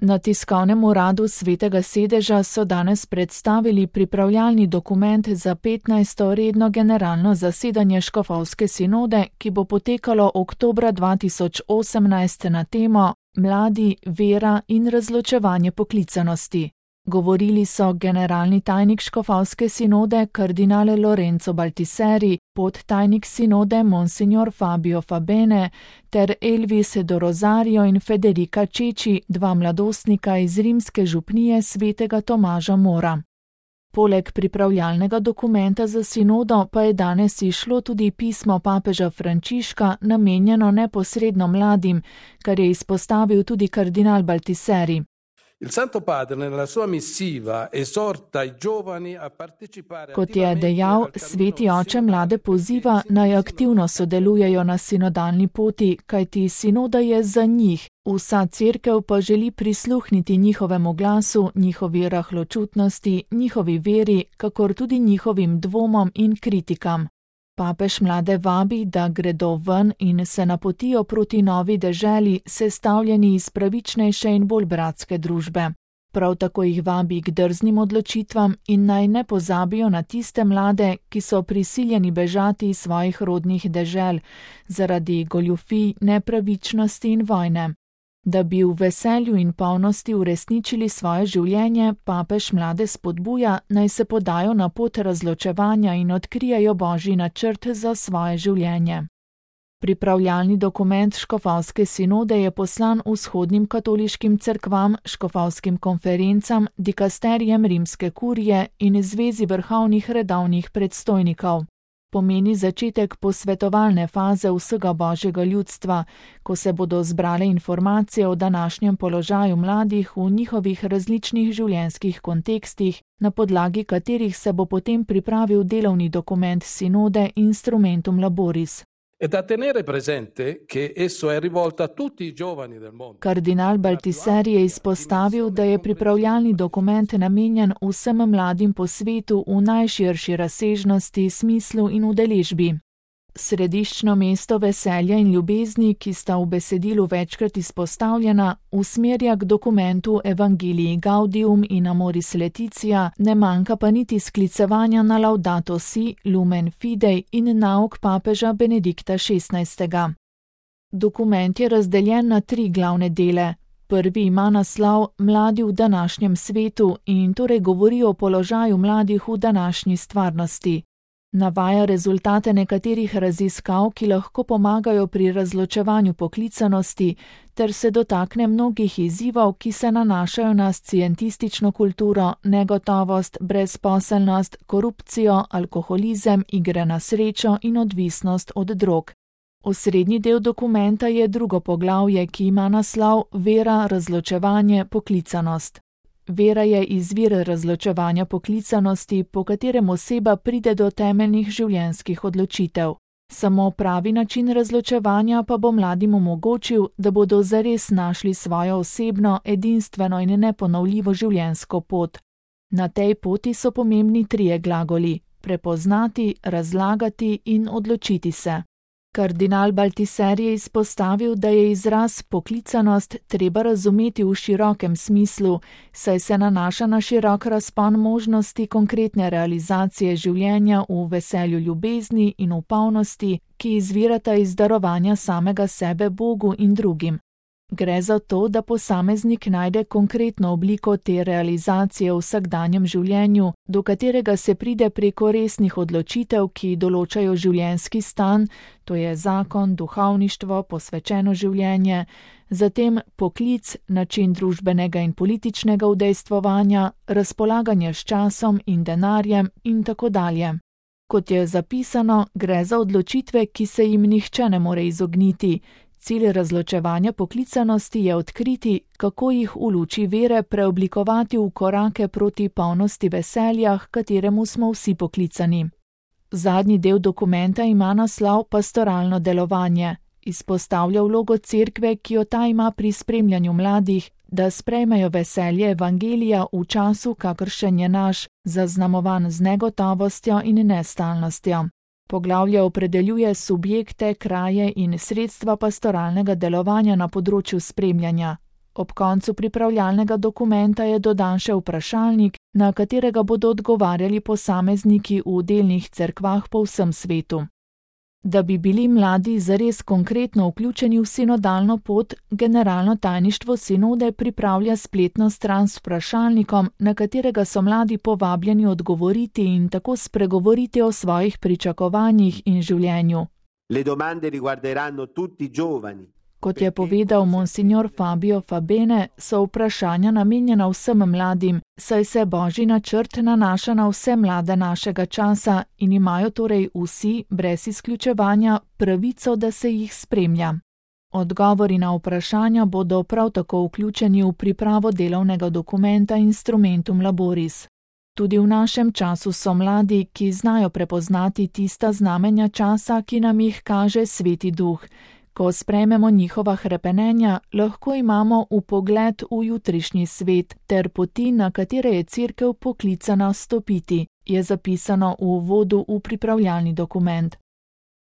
Na tiskovnem uradu Svetega sedeža so danes predstavili pripravljalni dokument za 15. redno generalno zasedanje škofovske sinode, ki bo potekalo oktobra 2018 na temo Mladi, vera in razločevanje poklicanosti. Govorili so generalni tajnik škofovske sinode kardinal Lorenzo Baltiseri, podtajnik sinode monsignor Fabio Fabene ter Elvis do Rosario in Federica Čeči, dva mladostnika iz rimske župnije svetega Tomaža Mora. Poleg pripravljalnega dokumenta za sinodo pa je danes izšlo tudi pismo papeža Frančiška, namenjeno neposredno mladim, kar je izpostavil tudi kardinal Baltiseri. Kot je dejal, sveti oče mlade poziva, naj aktivno sodelujejo na sinodalni poti, kajti sinoda je za njih, vsa cerkev pa želi prisluhniti njihovemu glasu, njihovi rahločutnosti, njihovi veri, kakor tudi njihovim dvomom in kritikam. Papež mlade vabi, da gredo ven in se napotijo proti novi deželi, sestavljeni iz pravičnejše in bolj bratske družbe. Prav tako jih vabi k drznim odločitvam in naj ne pozabijo na tiste mlade, ki so prisiljeni bežati iz svojih rodnih dežel zaradi goljufij, nepravičnosti in vojne. Da bi v veselju in polnosti uresničili svoje življenje, papež mlade spodbuja, naj se podajo na pot razločevanja in odkrijejo Božji načrt za svoje življenje. Pripravljalni dokument škofovske sinode je poslan vzhodnim katoliškim cerkvam, škofovskim konferencam, dikasterijem rimske kurije in zvezi vrhovnih redovnih predstojnikov. Pomeni začetek posvetovalne faze vsega Božjega ljudstva, ko se bodo zbrale informacije o današnjem položaju mladih v njihovih različnih življenjskih kontekstih, na podlagi katerih se bo potem pripravil delovni dokument sinode Instrumentum Laboris. Kardinal Baltiseri je izpostavil, da je pripravljalni dokument namenjen vsem mladim po svetu v najširši razsežnosti, smislu in udeležbi. Središčno mesto veselja in ljubezni, ki sta v besedilu večkrat izpostavljena, usmerja k dokumentu Evangelii Gaudium in Amoris Laetitia, ne manjka pa niti sklicevanja na Laudato Si, Lumen Fidei in nauk papeža Benedikta XVI. Dokument je razdeljen na 3 glavne dele. Prvi ima naslov Mladi v današnjem svetu in torej govori o položaju mladih v današnji stvarnosti. Navaja rezultate nekaterih raziskav, ki lahko pomagajo pri razločevanju poklicanosti, ter se dotakne mnogih izzivov, ki se nanašajo na scientistično kulturo, negotovost, brezposelnost, korupcijo, alkoholizem, igre na srečo in odvisnost od drog. Osrednji del dokumenta je drugo poglavje, ki ima naslov Vera, razločevanje, poklicanost. Vera je izvir razločevanja poklicanosti, po katerem oseba pride do temeljnih življenjskih odločitev. Samo pravi način razločevanja pa bo mladim omogočil, da bodo zares našli svojo osebno, edinstveno in neponovljivo življenjsko pot. Na tej poti so pomembni 3 glagoli: prepoznati, razlagati in odločiti se. Kardinal Baltiseri je izpostavil, da je izraz poklicanost treba razumeti v širokem smislu, saj se nanaša na širok razpon možnosti konkretne realizacije življenja v veselju ljubezni in v polnosti, ki izvirata iz darovanja samega sebe Bogu in drugim. Gre za to, da posameznik najde konkretno obliko te realizacije v vsakdanjem življenju, do katerega se pride preko resnih odločitev, ki določajo življenjski stan, to je zakon, duhovništvo, posvečeno življenje, zatem poklic, način družbenega in političnega udejstvovanja, razpolaganje s časom in denarjem in tako dalje. Kot je zapisano, gre za odločitve, ki se jim nihče ne more izogniti. Cilj razločevanja poklicanosti je odkriti, kako jih v luči vere preoblikovati v korake proti polnosti veselja, h kateremu smo vsi poklicani. Zadnji del dokumenta ima naslov Pastoralno delovanje. Izpostavlja vlogo cerkve, ki jo ta ima pri spremljanju mladih, da sprejmejo veselje evangelija v času, kakršen je naš, zaznamovan z negotovostjo in nestalnostjo. Poglavje opredeljuje subjekte, kraje in sredstva pastoralnega delovanja na področju spremljanja. Ob koncu pripravljalnega dokumenta je dodan še vprašalnik, na katerega bodo odgovarjali posamezniki v delnih cerkvah po vsem svetu. Da bi bili mladi zares konkretno vključeni v sinodalno pot, generalno tajništvo sinode pripravlja spletno stran s vprašalnikom, na katerega so mladi povabljeni odgovoriti in tako spregovoriti o svojih pričakovanjih in življenju. Le domande riguarderanno tutti i giovani. Kot je povedal monsignor Fabio Fabene, so vprašanja namenjena vsem mladim, saj se Božji načrt nanaša na vse mlade našega časa in imajo torej vsi, brez izključevanja, pravico, da se jih spremlja. Odgovori na vprašanja bodo prav tako vključeni v pripravo delovnega dokumenta Instrumentum Laboris. Tudi v našem času so mladi, ki znajo prepoznati tista znamenja časa, ki nam jih kaže Sveti Duh. Ko sprejmemo njihova hrepenenja, lahko imamo vpogled v jutrišnji svet ter poti, na katere je Cerkev poklicana stopiti, je zapisano v uvodu v pripravljalni dokument.